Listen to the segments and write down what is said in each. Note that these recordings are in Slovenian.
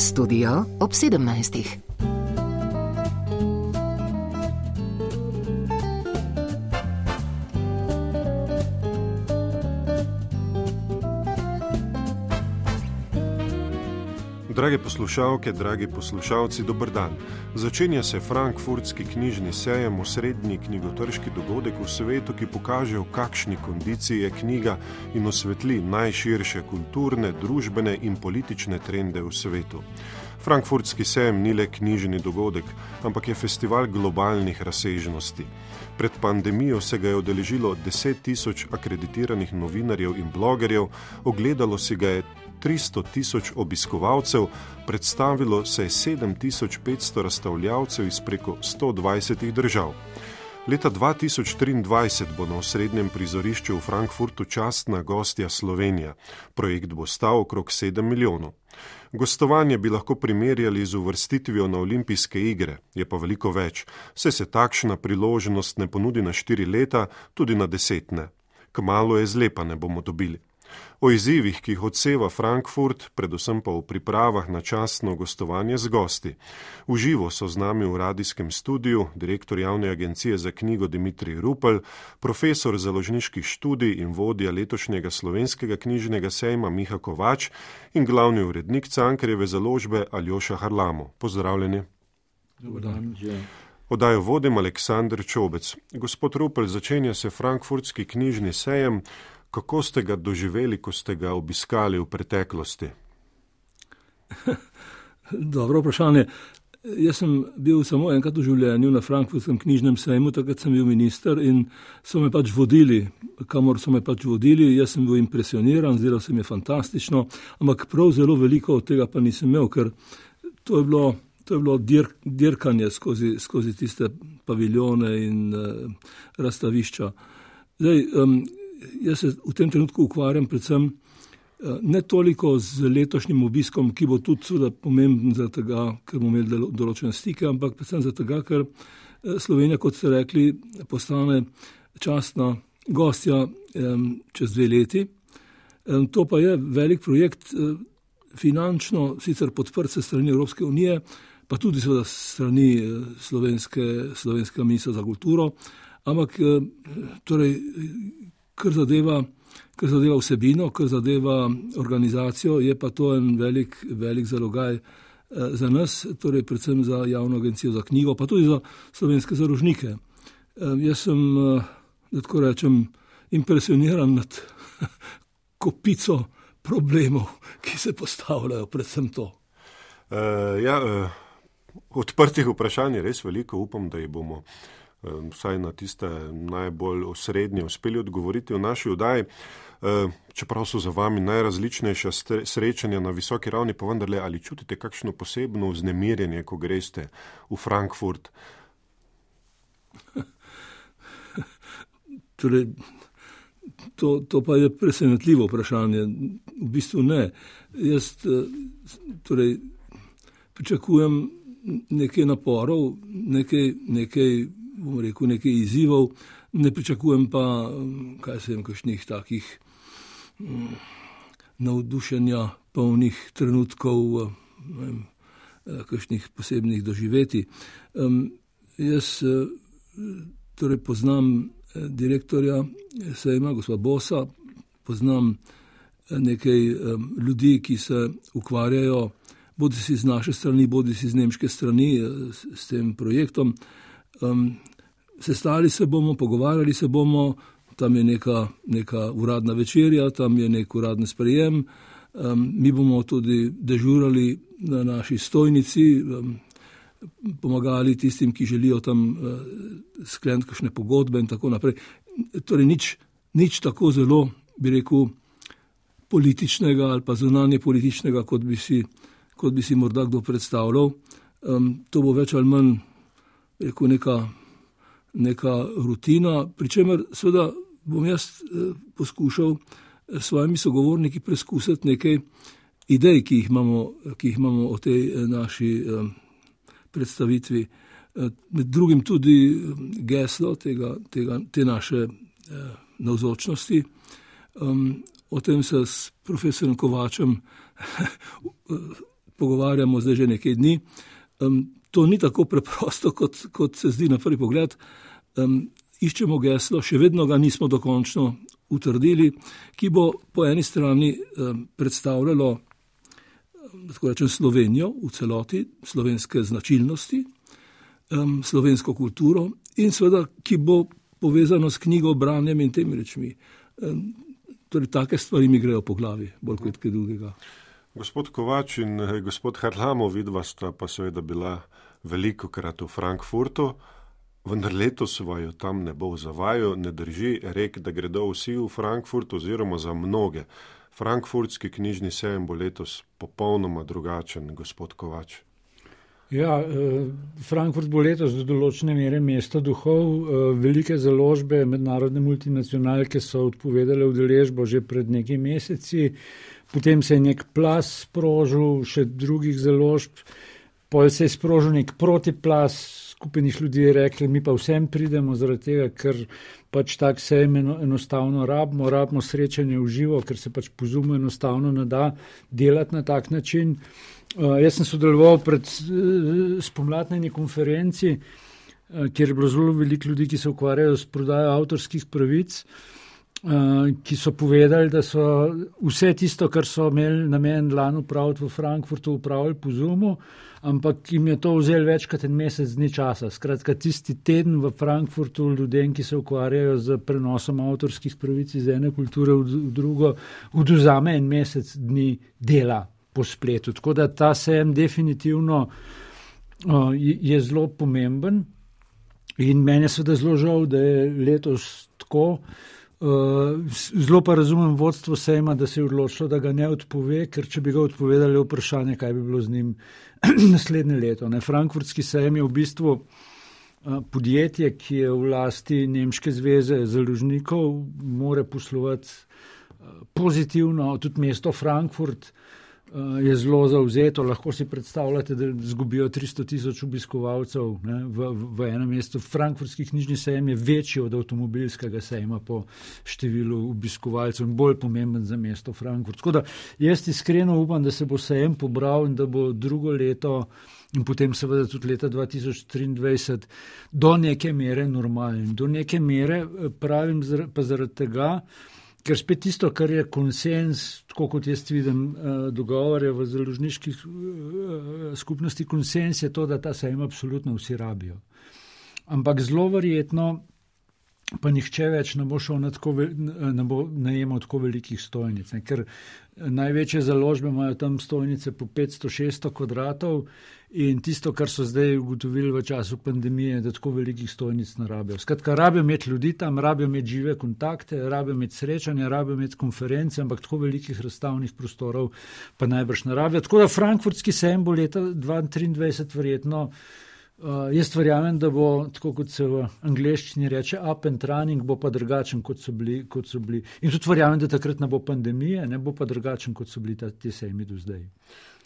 Studio ob 17. Drage poslušalke, dragi poslušalci, dober dan. Začenja se Frankfurtski knjižni sejem, osrednji knjigotrški dogodek v svetu, ki pokaže, v kakšni kondiciji je knjiga in osvetli najširše kulturne, družbene in politične trende v svetu. Frankfurtski sejem ni le knjižni dogodek, ampak je festival globalnih razsežnosti. Pred pandemijo se ga je udeležilo 10.000 akreditiranih novinarjev in blogerjev, ogledalo si ga je 300.000 obiskovalcev, predstavilo se je 7.500 razstavljavcev iz preko 120 držav. Leta 2023 bo na osrednjem prizorišču v Frankfurtu častna gostja Slovenija. Projekt bo stal okrog 7 milijonov. Gostovanje bi lahko primerjali z uvrstitvijo na olimpijske igre, je pa veliko več. Saj se takšna priložnost ne ponudi na 4 leta, tudi na 10 ne. Kmalu je zlepa ne bomo dobili. O izzivih, ki jih odseva Frankfurt, predvsem pa v pripravah na častno gostovanje z gosti. V živo so z nami v radijskem studiu direktor Javne agencije za knjigo Dimitrij Rupel, profesor založniških študij in vodja letošnjega slovenskega knjižnega sejma Miha Kovač in glavni urednik Cankarjeve založbe Aljoša Harlamov. Pozdravljeni. Dobar dan. Oddajo vodim Aleksander Čobec. Gospod Rupel, začenja se Frankfurtski knjižni sejem. Kako ste ga doživeli, ko ste ga obiskali v preteklosti? Dobro vprašanje. Jaz sem bil samo enkrat v življenju na Frankfurtskem knjižnem sejmu, takrat sem bil minister in so me pač vodili, kamor so me pač vodili. Jaz sem bil impresioniran, zdelo se mi je fantastično, ampak prav zelo veliko od tega pa nisem imel, ker to je bilo dirkanje skozi tiste paviljone in razstavišča. Zdaj, jaz se v tem trenutku ukvarjam predvsem ne toliko z letošnjim obiskom, ki bo tudi seveda pomemben zaradi tega, ker bomo imeli določene stike, ampak predvsem zaradi tega, ker Slovenija, kot ste rekli, postane častna gostja čez 2 leti. To pa je velik projekt, finančno sicer podprt se strani Evropske unije, pa tudi seveda strani slovenskega ministra za kulturo, ampak torej kar zadeva vsebino, kar zadeva organizacijo, je pa to en velik zalogaj za nas, torej predvsem za Javno agencijo za knjigo, pa tudi za slovenske založnike. Jaz sem, da tako rečem, impresioniran nad kopico problemov, ki se postavljajo, predvsem to. Odprtih vprašanj je res veliko, upam, da jih bomo vsaj na tiste najbolj osrednje uspeli odgovoriti v naši oddaji. Čeprav so za vami najrazličnejša srečanja na visoki ravni, pa vendarle, ali čutite kakšno posebno vznemirjenje, ko greste v Frankfurt? Torej, to pa je presenetljivo vprašanje. V bistvu ne. Jaz pričakujem nekaj naporov, nekaj izzivov, ne pričakujem pa, kakšnih takih navdušenja polnih trenutkov, kakšnih posebnih doživetij. Jaz torej poznam direktorja sejma, gospoda Bosa, poznam nekaj ljudi, ki se ukvarjajo bodi si z naše strani, bodi si z nemške strani s tem projektom. Sestali se bomo, pogovarjali se bomo, tam je neka uradna večerja, tam je nek uradni sprejem, mi bomo tudi dežurali na naši stojnici, pomagali tistim, ki želijo tam skleniti kakšne pogodbe in tako naprej. Torej nič tako zelo, bi rekel, političnega ali pa zunanje političnega, kot bi si morda kdo predstavljal. To bo več ali manj, rekel, neka rutina, pri čemer seveda bom jaz poskušal s svojimi sogovorniki preskusiti nekaj idej, ki jih imamo o tej naši predstavitvi. Med drugim tudi geslo te naše navzočnosti. O tem se s profesorjem Kovačem pogovarjamo zdaj že nekaj dni. To ni tako preprosto, kot se zdi na prvi pogled. Iščemo geslo, še vedno ga nismo dokončno utrdili, ki bo po eni strani predstavljalo, tako rečem, Slovenijo v celoti, slovenske značilnosti, slovensko kulturo in seveda, ki bo povezano s knjigo, branjem in temi rečmi. Torej, take stvari mi grejo po glavi, bolj kot kaj drugega. Gospod Kovač in gospod Harlamov, vidva sta pa seveda bila velikokrat v Frankfurtu, vendar letos vaju tam ne bo zavajal, ne drži rek, da gredo vsi v Frankfurt oziroma za mnoge. Frankfurtski knjižni sejem bo letos popolnoma drugačen, gospod Kovač. Ja, Frankfurt bo letos do določene mere mesto duhov. Velike založbe, mednarodne multinacionalke so odpovedale udeležbo že pred nekaj meseci. Potem se je nek plas sprožil, še drugih založb. Potem se je sprožil nek protiplas, skupenih ljudi je rekli, mi pa vsem pridemo zaradi tega, ker pač tak sejem enostavno rabimo srečanje v živo, ker se pač po Zoomu enostavno ne da delati na tak način. Jaz sem sodeloval pred spomladni konferenci, kjer je bilo zelo veliko ljudi, ki se ukvarjajo s prodajo avtorskih pravic, ki so povedali, da so vse tisto, kar so imeli namen lani upraviti v Frankfurtu, upravili po Zoomu, ampak jim je to vzelo več kot en mesec dni časa. Skratka, tisti teden v Frankfurtu ljudem, ki se ukvarjajo z prenosom avtorskih pravic iz ene kulture v drugo, odvzame en mesec dni dela po spletu. Tako da ta sejem definitivno je zelo pomemben in meni je seveda zelo žal, da je letos tako. Zelo pa razumem vodstvo sejma, da se je odločilo, da ga ne odpove, ker če bi ga odpovedali, je vprašanje, kaj bi bilo z njim naslednje leto. Frankfurtski sejem je v bistvu podjetje, ki je v lasti Nemške zveze založnikov, more poslovati pozitivno, tudi mesto Frankfurt je zelo zavzeto, lahko si predstavljate, da zgubijo 300,000 obiskovalcev v enem mestu. Frankfurtski knjižni sejem je večji od avtomobilskega sejma po številu obiskovalcev in bolj pomemben za mesto Frankfurt. Tako da jaz iskreno upam, da se bo sejem pobral in da bo drugo leto in potem seveda tudi leta 2023 do neke mere normalen. Do neke mere pravim pa zaradi tega, ker spet tisto, kar je konsens, tako kot jaz vidim dogovore v založniških skupnosti, konsens je to, da ta sejem absolutno vsi rabijo. Ampak zelo verjetno pa nihče več ne bo najemal tako velikih stojnic, ker največje založbe imajo tam stojnice po 500-600 kvadratov in tisto, kar so zdaj ugotovili v času pandemije, da tako velikih stojnic ne rabijo. Skratka, rabijo imeti ljudi tam, rabijo imeti žive kontakte, rabijo imeti srečanja, rabijo imeti konference, ampak tako velikih razstavnih prostorov pa najbrž ne rabijo. Tako da Frankfurtski sejem bo leta 2023 verjetno, jaz verjamem, da bo, tako kot se v angleščini reče, up and running, bo pa drugačen, kot so bili. In tudi verjamem, da takrat ne bo pandemije, ne bo pa drugačen, kot so bili ti sejmi do zdaj.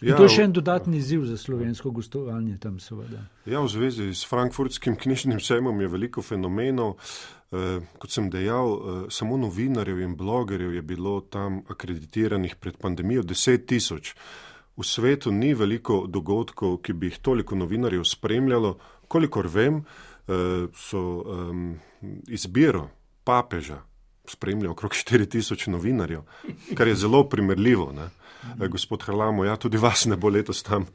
In to je še en dodatni izziv za slovensko gostovanje tam seveda. Ja, v zvezi s Frankfurtskim knjižnim sejmom je veliko fenomenov. Kot sem dejal, samo novinarjev in blogerjev je bilo tam akreditiranih pred pandemijo 10,000. V svetu ni veliko dogodkov, ki bi jih toliko novinarjev spremljalo. Kolikor vem, so izbiro papeža spremlja okrog 4,000 novinarjev, kar je zelo primerljivo. Ne? Gospod Harlamo, ja, tudi vas ne bo letos tam.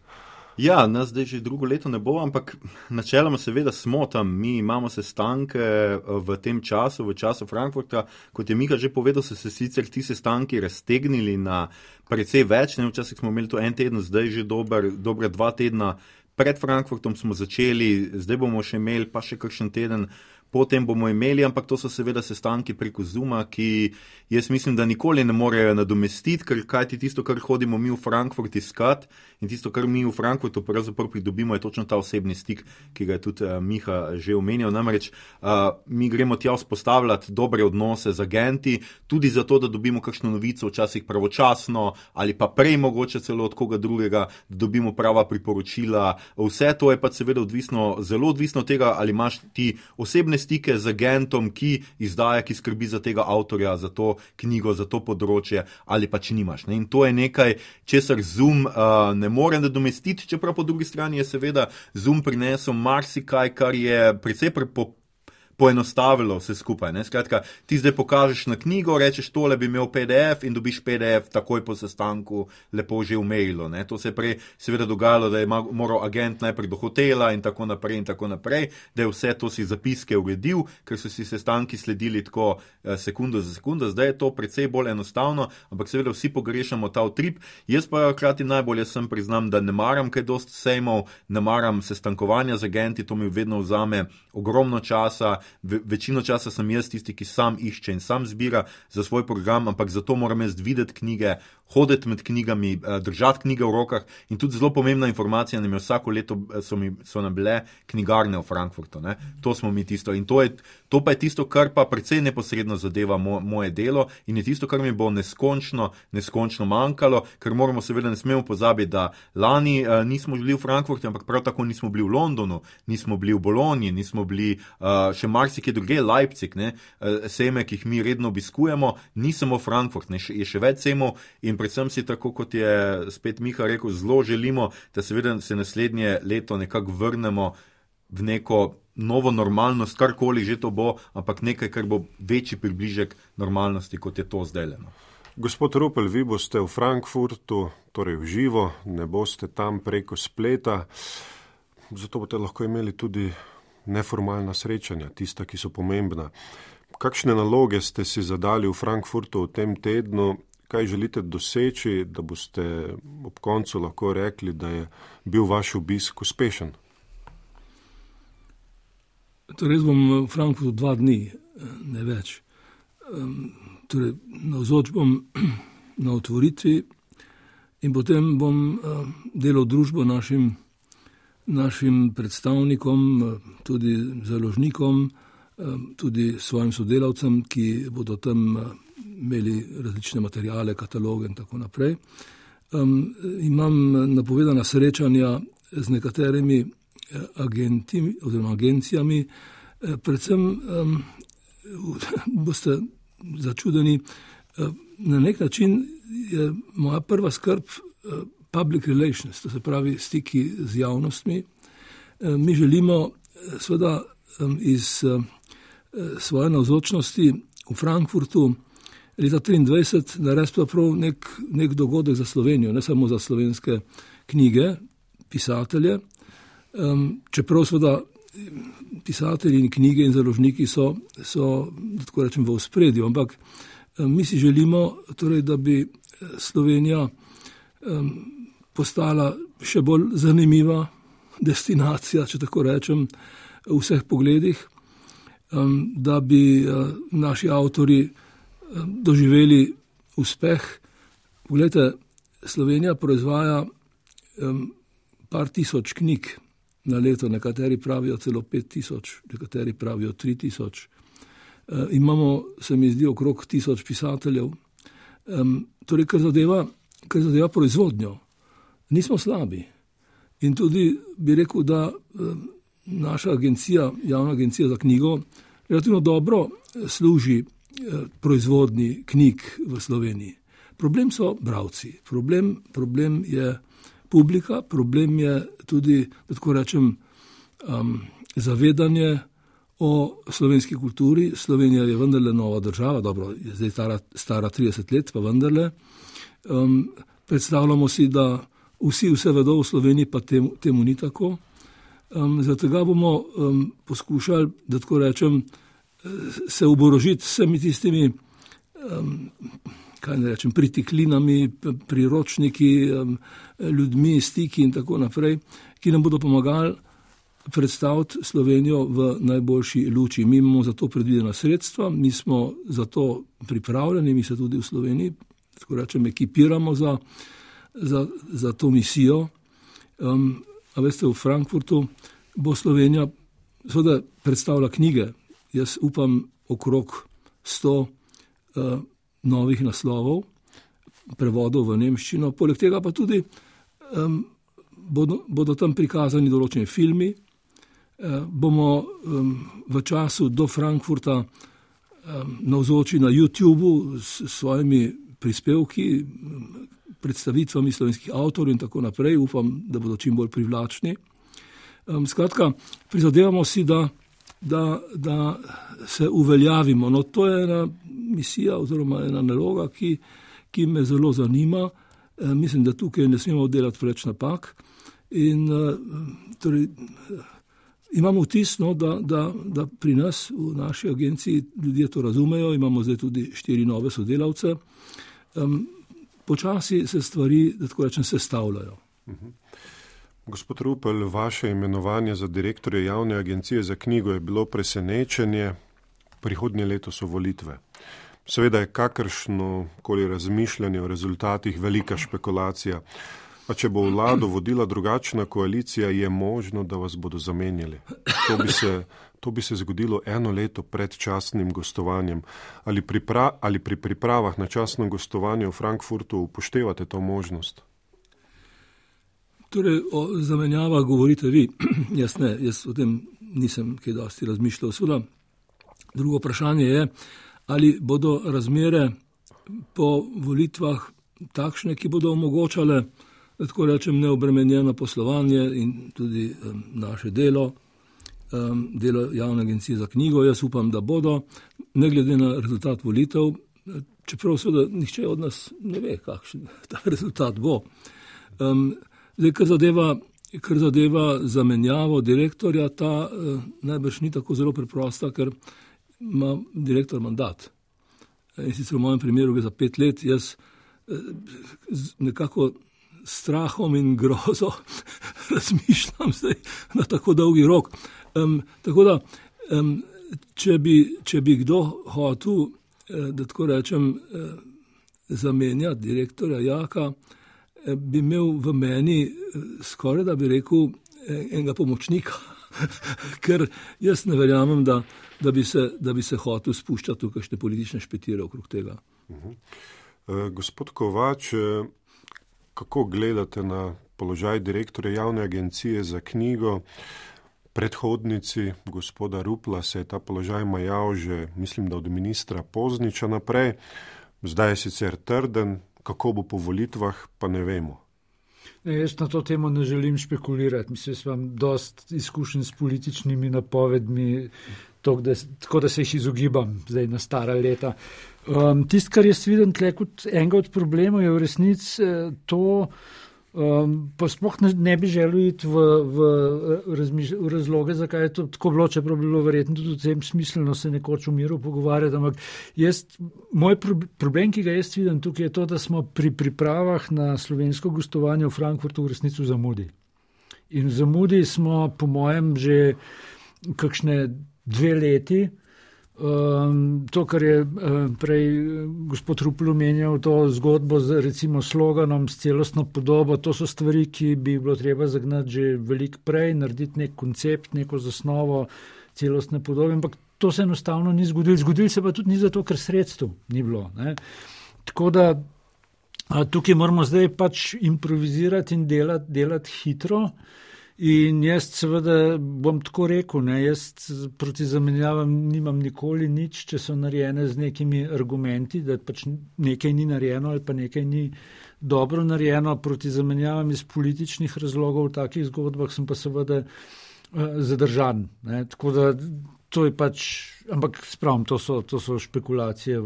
Ja, nas zdaj že drugo leto ne bo, ampak načeloma seveda smo tam. Mi imamo sestanke v tem času, v času Frankfurta. Kot je Miha že povedal, so se sicer ti sestanki raztegnili na precej več. Včasih smo imeli to en teden, zdaj že dobre 2 tedna. Pred Frankfurtom smo začeli, zdaj bomo še imeli pa še kakšen teden. Potem bomo imeli, ampak to so seveda sestanki preko Zooma, ki jaz mislim, da nikoli ne morejo nadomestiti, ker kajti tisto, kar hodimo mi v Frankfurt iskat in tisto, kar mi v Frankfurtu pravzaprav pridobimo, je točno ta osebni stik, ki ga je tudi Miha že omenjal. Namreč mi gremo tja vzpostavljati dobre odnose z agenti, tudi zato, da dobimo kakšno novico včasih pravočasno ali pa prej mogoče celo od koga drugega, da dobimo prava priporočila. Vse to je pa seveda zelo odvisno od tega, ali imaš ti osebne stike z agentom, ki izdaja, ki skrbi za tega avtorja, za to knjigo, za to področje, ali pač nimaš. Ne? In to je nekaj, česar Zoom ne more nadomestiti, čeprav po drugi strani je seveda Zoom prinesel marsikaj, kar je precej poenostavilo vse skupaj. Ne? Skratka, ti zdaj pokažeš na knjigo, rečeš, tole bi imel PDF in dobiš PDF takoj po sestanku lepo že v mailu. Ne? To se je prej seveda dogajalo, da je moral agent najprej do hotela in tako naprej, da je vse to si zapiske uredil, ker so si sestanki sledili tako sekundo za sekundo. Zdaj je to precej bolj enostavno, ampak seveda vsi pogrešamo ta utrip. Jaz pa hkrati najbolje sem priznam, da ne maram kaj dosti sejmov, ne maram sestankovanja z agenti, to mi vedno vzame ogromno časa. Večino časa sem jaz tisti, ki sam išče in sam zbira za svoj program, ampak zato moram jaz videti knjige, hoditi med knjigami, držati knjige v rokah in tudi zelo pomembna informacija, nam je vsako leto so nam bile knjigarne v Frankfurtu. Ne? To smo mi tisto in to pa je tisto, kar pa precej neposredno zadeva moje delo in je tisto, kar mi bo neskončno manjkalo, ker moramo seveda ne smemo pozabiti, da lani nismo bili v Frankfurtu, ampak prav tako nismo bili v Londonu, nismo bili v Bologni, nismo bili še marsikje druge, Leipzig, ne, sejme, ki jih mi redno obiskujemo, ni samo Frankfurt, ne, je še več sejmov in predvsem si tako, kot je spet Miha rekel, zelo želimo, da seveda se naslednje leto nekako vrnemo v neko novo normalnost, karkoli že to bo, ampak nekaj, kar bo večji približek normalnosti, kot je to zdaj. No. Gospod Rupel, vi boste v Frankfurtu, torej v živo, ne boste tam preko spleta, zato boste lahko imeli tudi neformalna srečanja, tista, ki so pomembna. Kakšne naloge ste si zadali v Frankfurtu v tem tednu? Kaj želite doseči, da boste ob koncu lahko rekli, da je bil vaš obisk uspešen? Torej, bom v Frankfurtu 2 dni, ne več. Torej, navzoč bom na otvoritvi in potem bom delal družbo našim predstavnikom, tudi založnikom, tudi svojim sodelavcem, ki bodo tam imeli različne materijale, kataloge in tako naprej. Imam napovedana srečanja z nekaterimi agenti oziroma agencijami, predvsem boste začudeni, na nek način je moja prva skrb public relations, to se pravi stiki z javnostmi. Mi želimo seveda iz svoje navzočnosti v Frankfurtu leta 2023 narediti prav nek dogodek za Slovenijo, ne samo za slovenske knjige, pisatelje, čeprav seveda pisatelji in knjige in založniki so tako rečem v ospredju, ampak mi si želimo torej, da bi Slovenija postala še bolj zanimiva destinacija, če tako rečem, v vseh pogledih, da bi naši avtori doživeli uspeh. Poglejte, Slovenija proizvaja par tisoč knjig na leto, nekateri pravijo celo 5000, nekateri pravijo 3000. Imamo, se mi zdi, okrog 1000 pisateljev. Torej, kar zadeva proizvodnjo, nismo slabi. In tudi bi rekel, da naša agencija, javna agencija za knjigo, relativno dobro služi proizvodnji knjig v Sloveniji. Problem so bralci, problem je publika, problem je tudi, da tako rečem, zavedanje o slovenski kulturi. Slovenija je vendarle nova država, dobro, je zdaj stara 30 let, pa vendarle. Predstavljamo si, da vsi vse vedo v Sloveniji, pa temu ni tako. Zato bomo poskušali, da tako rečem, se oborožiti s vsemi tistimi pritiklinami, priročniki, ljudmi, stiki in tako naprej, ki nam bodo pomagali predstaviti Slovenijo v najboljši luči. Mi imamo za to predvidena sredstva, mi smo za to pripravljeni, mi se tudi v Sloveniji, tako rečem, ekipiramo za to misijo. A veste, v Frankfurtu bo Slovenija seveda predstavila knjige. Jaz upam okrog 100 novih naslovov, prevodov v nemščino. Poleg tega pa tudi bodo tam prikazani določeni filmi, bomo v času do Frankfurta navzoči na YouTubu s svojimi prispevki, predstavitvami slovenskih avtorjev in tako naprej. Upam, da bodo čim bolj privlačni. Skratka, prizadevamo si, da se uveljavimo. No, to je ena misija oziroma ena naloga, ki me zelo zanima. Mislim, da tukaj ne smemo delati preveč napak. In torej, imamo vtis, no, da pri nas v naši agenciji ljudje to razumejo. Imamo zdaj tudi 4 nove sodelavce. Počasi se stvari, da tako rečem, sestavljajo. Gospod Rupel, vaše imenovanje za direktorja Javne agencije za knjigo je bilo presenečenje. Prihodnje leto so volitve. Seveda je kakršno koli razmišljanje o rezultatih velika špekulacija. A če bo vlado vodila drugačna koalicija, je možno, da vas bodo zamenjali. To bi se zgodilo 1 leto pred častnim gostovanjem. Ali pri pripravah na častno gostovanje v Frankfurtu upoštevate to možnost? Torej, o zamenjavah govorite vi. Jaz o tem nisem kaj dosti razmišljal. Seveda, drugo vprašanje je, ali bodo razmere po volitvah takšne, ki bodo omogočale, da tako rečem, neobremenjeno poslovanje in tudi naše delo Javne agencije za knjigo. Jaz upam, da bodo, ne glede na rezultat volitev, čeprav seveda nihče od nas ne ve, kakšen ta rezultat bo. Zdaj, kar zadeva zamenjavo direktorja, ta najbrž ni tako zelo preprosta, ker ima direktor mandat. In sicer v mojem primeru gre za 5 let, jaz nekako strahom in grozo razmišljam zdaj na tako dolgi rok. Tako da, če bi kdo hotel, da tako rečem, zamenjati direktorja Jaka, bi imel v meni skoraj, da bi rekel, enega pomočnika, ker jaz ne verjamem, da bi se hotel spuščati v kakšne politične špetire okrog tega. Gospod Kovač, kako gledate na položaj direktorja Javne agencije za knjigo? Predhodnici gospoda Rupla se je ta položaj majal že, mislim, da od ministra Pozniča naprej. Zdaj je sicer trden, kako bo po volitvah, pa ne vemo. Jaz na to temo ne želim špekulirati. Mislim, da sem dosti izkušen s političnimi napovedmi, tako da se jih izogibam zdaj na stara leta. Tisto, kar jaz vidim tle kot enega od problemov, je v resnici to, pa sploh ne bi želel iti v razloge, zakaj je to tako bilo, čeprav bi bilo verjetno tudi v tem smiselno se nekoč v miru pogovarjati, ampak moj problem, ki ga jaz vidim tukaj, je to, da smo pri pripravah na slovensko gostovanje v Frankfurtu v resnici v zamudi. In v zamudi smo, po mojem, že kakšne 2 leti. To, kar je prej gospod Rupel omenjal, to zgodbo z recimo sloganom, s celostno podobo, to so stvari, ki bi bilo treba zagnati že veliko prej, narediti nek koncept, neko zasnovo celostne podobe, ampak to se enostavno ni zgodilo. Zgodilo se pa tudi ni zato, ker sredstev ni bilo. Ne? Tako da tukaj moramo zdaj pač improvizirati in delati hitro. In jaz seveda bom tako rekel, jaz proti zamenjavam nimam nikoli nič, če so narejene z nekimi argumenti, da pač nekaj ni narejeno ali pa nekaj ni dobro narejeno. Proti zamenjavam iz političnih razlogov v takih zgodbah sem pa seveda zadržan. Tako da to je pač, ampak spravim, to so špekulacije,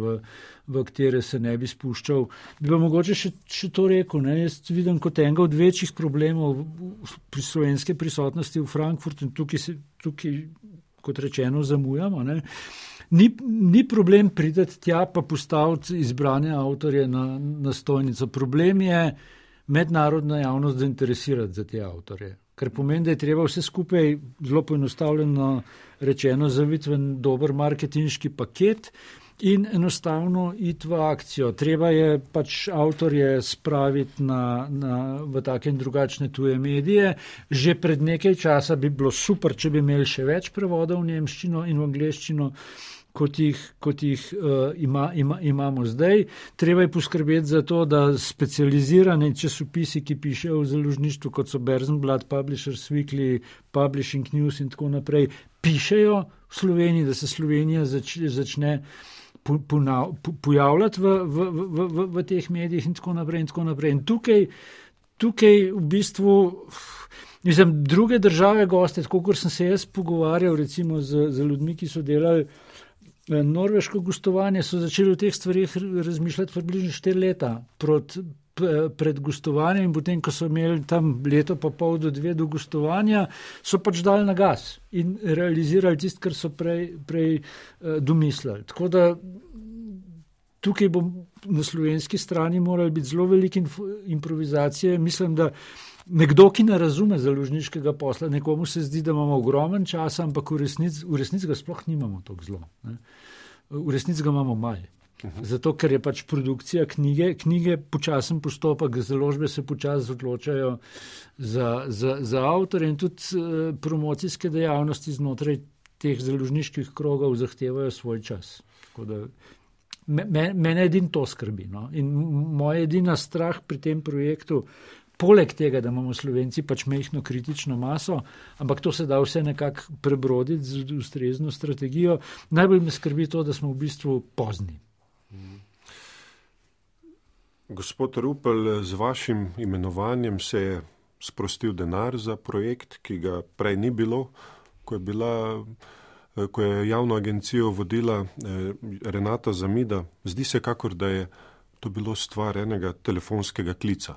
v katere se ne bi spuščal. Bi pa mogoče še to rekel, jaz vidim kot enega od večjih problemov pri slovenske prisotnosti v Frankfurtu in tukaj kot rečeno, zamujamo. Ni problem priti tja pa postaviti izbrane avtorje na stojnico. Problem je mednarodna javnost zainteresirati za te avtorje. Kar pomeni, da je treba vse skupaj zelo poenostavljeno rečeno zaviti v dober marketinški paket in enostavno iti v akcijo. Treba je pač avtorje spraviti v take in drugačne tuje medije. Že pred nekaj časa bi bilo super, če bi imeli še več prevodov v nemščino in v angleščino. kot jih imamo zdaj. Treba je poskrbeti za to, da specializirane časopisi, ki pišejo v založništvu, kot so Berzenblad, Publishers Weekly, Publishing News in tako naprej, pišejo v Sloveniji, da se Slovenija začne pojavljati v teh medijih in tako naprej. In tukaj v bistvu, druge države goste, tako kot sem se jaz pogovarjal recimo z ljudmi, ki so delali norveško gostovanje, so začeli o teh stvarih razmišljati približno 4 leta pred gostovanjem, in potem, ko so imeli tam leto pa pol do 2 do gostovanja, so pač dali na gas in realizirali tisto, kar so prej domislili. Tako da tukaj bo na slovenski strani morali biti zelo velike improvizacije. Mislim, da nekdo, ki ne razume založniškega posla, nekomu se zdi, da imamo ogromen čas, ampak v resnici ga sploh nimamo tako zelo. Ne. V resnici ga imamo malo. Zato, ker je pač produkcija knjige počasen postopek, založbe se počasi odločajo za avtorje in tudi promocijske dejavnosti znotraj teh založniških krogov zahtevajo svoj čas. Tako da mene edin to skrbi. No? In moja edina strah pri tem projektu, poleg tega, da imamo Slovenci pač majhno kritično maso, ampak to se da vse nekako prebroditi z ustrezno strategijo, najbolj me skrbi to, da smo v bistvu pozni. Gospod Rupel, z vašim imenovanjem se je sprostil denar za projekt, ki ga prej ni bilo, ko je javno agencijo vodila Renata Zamida. Zdi se kakor, da je to bilo stvar enega telefonskega klica.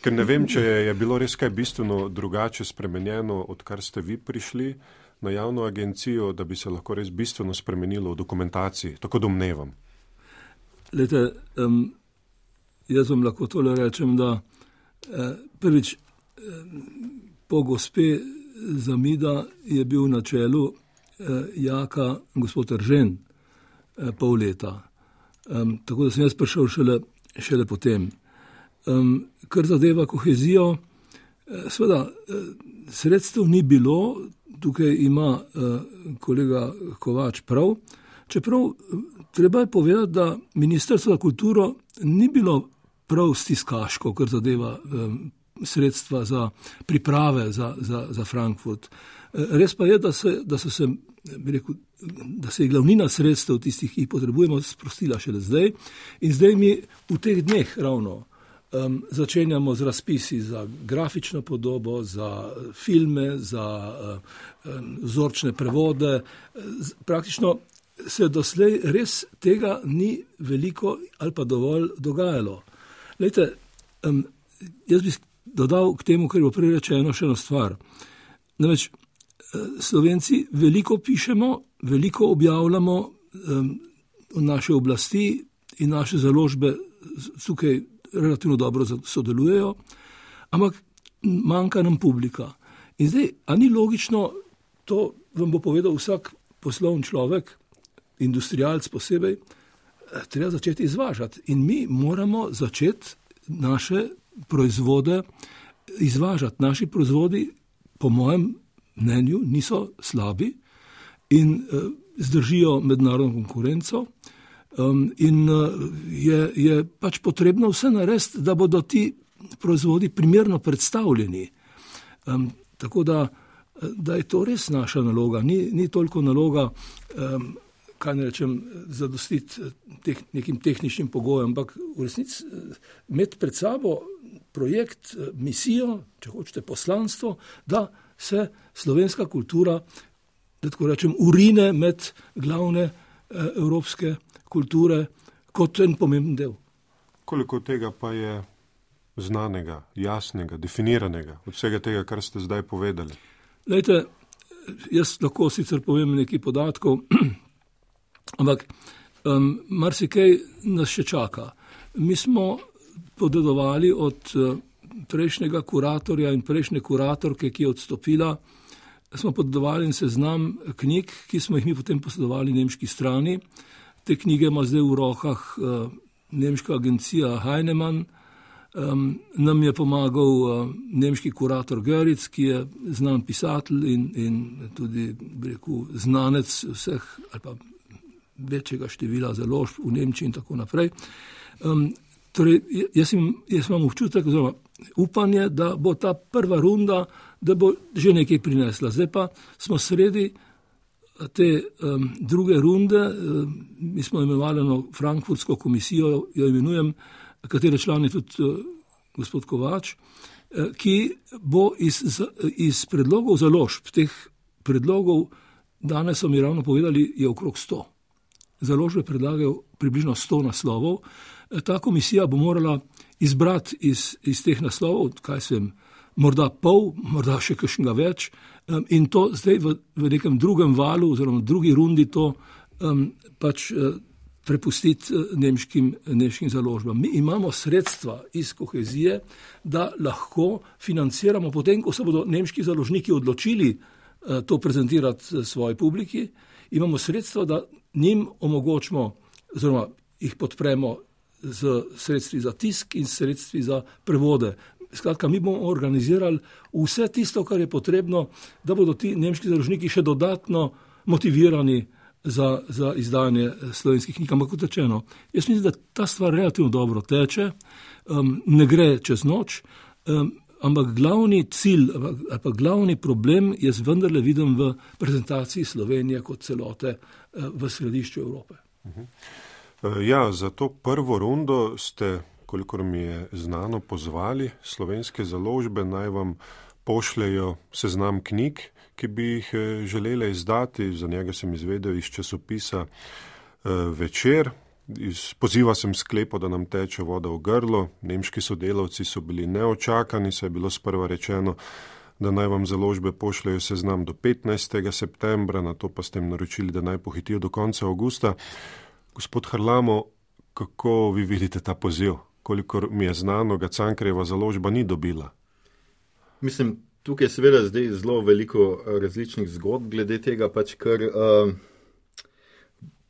Ker ne vem, če je bilo res kaj bistveno drugače spremenjeno, odkar ste vi prišli na javno agencijo, da bi se lahko res bistveno spremenilo v dokumentaciji. Tako domnevam. Lejte, jaz vam lahko tole rečem, da prvič po gospe Zamida je bil na čelu Jaka gospod Eržen pol leta. Tako da sem jaz prišel šele potem. Kar zadeva kohezijo, seveda sredstev ni bilo, tukaj ima kolega Kovač prav, čeprav treba je povedati, da Ministrstvo za kulturo ni bilo prav stiskaško, kar zadeva sredstva za priprave za Frankfurt. Res pa je, da se je glavnina sredstev tistih, ki jih potrebujemo, sprostila šele zdaj. In zdaj mi v teh dneh ravno začenjamo z razpisi za grafično podobo, za filme, za vzorčne prevode. Praktično se doslej res tega ni veliko ali pa dovolj dogajalo. Lejte, jaz bi dodal k temu, kar je bilo prej rečeno, še eno stvar. Namreč Slovenci veliko pišemo, veliko objavljamo, naše oblasti in naše založbe tukaj relativno dobro sodelujejo, ampak manjka nam publika. In zdaj, a ni logično, to vam bo povedal vsak poslovni človek, industrialc posebej, treba začeti izvažati. In mi moramo začeti naše proizvode izvažati. Naši proizvodi, po mojem mnenju, niso slabi in zdržijo mednarodno konkurenco. In je pač potrebno vse narediti, da bodo ti proizvodi primerno predstavljeni. Tako da je to res naša naloga. Ni toliko naloga, kaj ne rečem, zadostiti nekim tehničnim pogojem, ampak v resnici imeti pred sabo projekt, misijo, če hočete poslanstvo, da se slovenska kultura, da tako rečem, urine med glavne evropske kulture kot en pomemben del. Koliko tega pa je znanega, jasnega, definiranega od vsega tega, kar ste zdaj povedali? Lejte, jaz lahko sicer povem nekaj podatkov, ampak marsikaj nas še čaka. Mi smo podedovali od prejšnjega kuratorja in prejšnje kuratorke, ki je odstopila, smo podedovali en seznam knjig, ki smo jih mi potem posredovali nemški strani. Te knjige ima zdaj v rokah nemška agencija Heinemann, Nam je pomagal nemški kurator Göritz, ki je znan pisatelj in tudi, bi rekel, znanec vseh ali pa večjega števila založb v Nemčiji in tako naprej. Torej, jaz imam občutek, oziroma upanje, da bo ta prva runda, da bo že nekaj prinesla. Zdaj pa smo sredi te druge runde, mi smo imenovali Frankfurtsko komisijo, jo imenujem, katere član je tudi gospod Kovač, ki bo iz predlogov založb, teh predlogov, danes so mi ravno povedali, je okrog 100. Založbe predlagajo približno 100 naslovov. Ta komisija bo morala izbrati iz teh naslovov, kaj se vem, morda pol, morda še kakšnega več, in to zdaj v nekem drugem valu oziroma drugi rundi to pač prepustiti nemškim založbam. Mi imamo sredstva iz kohezije, da lahko financiramo, potem ko se bodo nemški založniki odločili to prezentirati svoji publiki, imamo sredstva, da njim omogočimo oziroma jih podpremo z sredstvi za tisk in sredstvi za prevode. Skratka, mi bomo organizirali vse tisto, kar je potrebno, da bodo ti nemški založniki še dodatno motivirani za izdajanje slovenskih knjig. Ampak kot rečeno, jaz mislim, da ta stvar relativno dobro teče, ne gre čez noč, ampak glavni cilj ali pa glavni problem jaz vendarle vidim v prezentaciji Slovenije kot celote v središču Evrope. Ja, za to prvo rundo ste, kolikor mi je znano, pozvali slovenske založbe, naj vam pošljejo seznam knjig, ki bi jih želele izdati. Za njega sem izvedel iz časopisa Večer. Iz poziva sem sklepal, da nam teče voda v grlo. Nemški sodelavci so bili neočakani, saj je bilo sprva rečeno, da naj vam založbe pošljejo seznam do 15. septembra, na to pa ste jim naročili, da naj pohitijo do konca avgusta. Gospod Harlamo, kako vi vidite ta poziv? Kolikor mi je znano, ga Cankarjeva založba ni dobila. Mislim, tukaj je seveda zdaj zelo veliko različnih zgodb glede tega, pač kar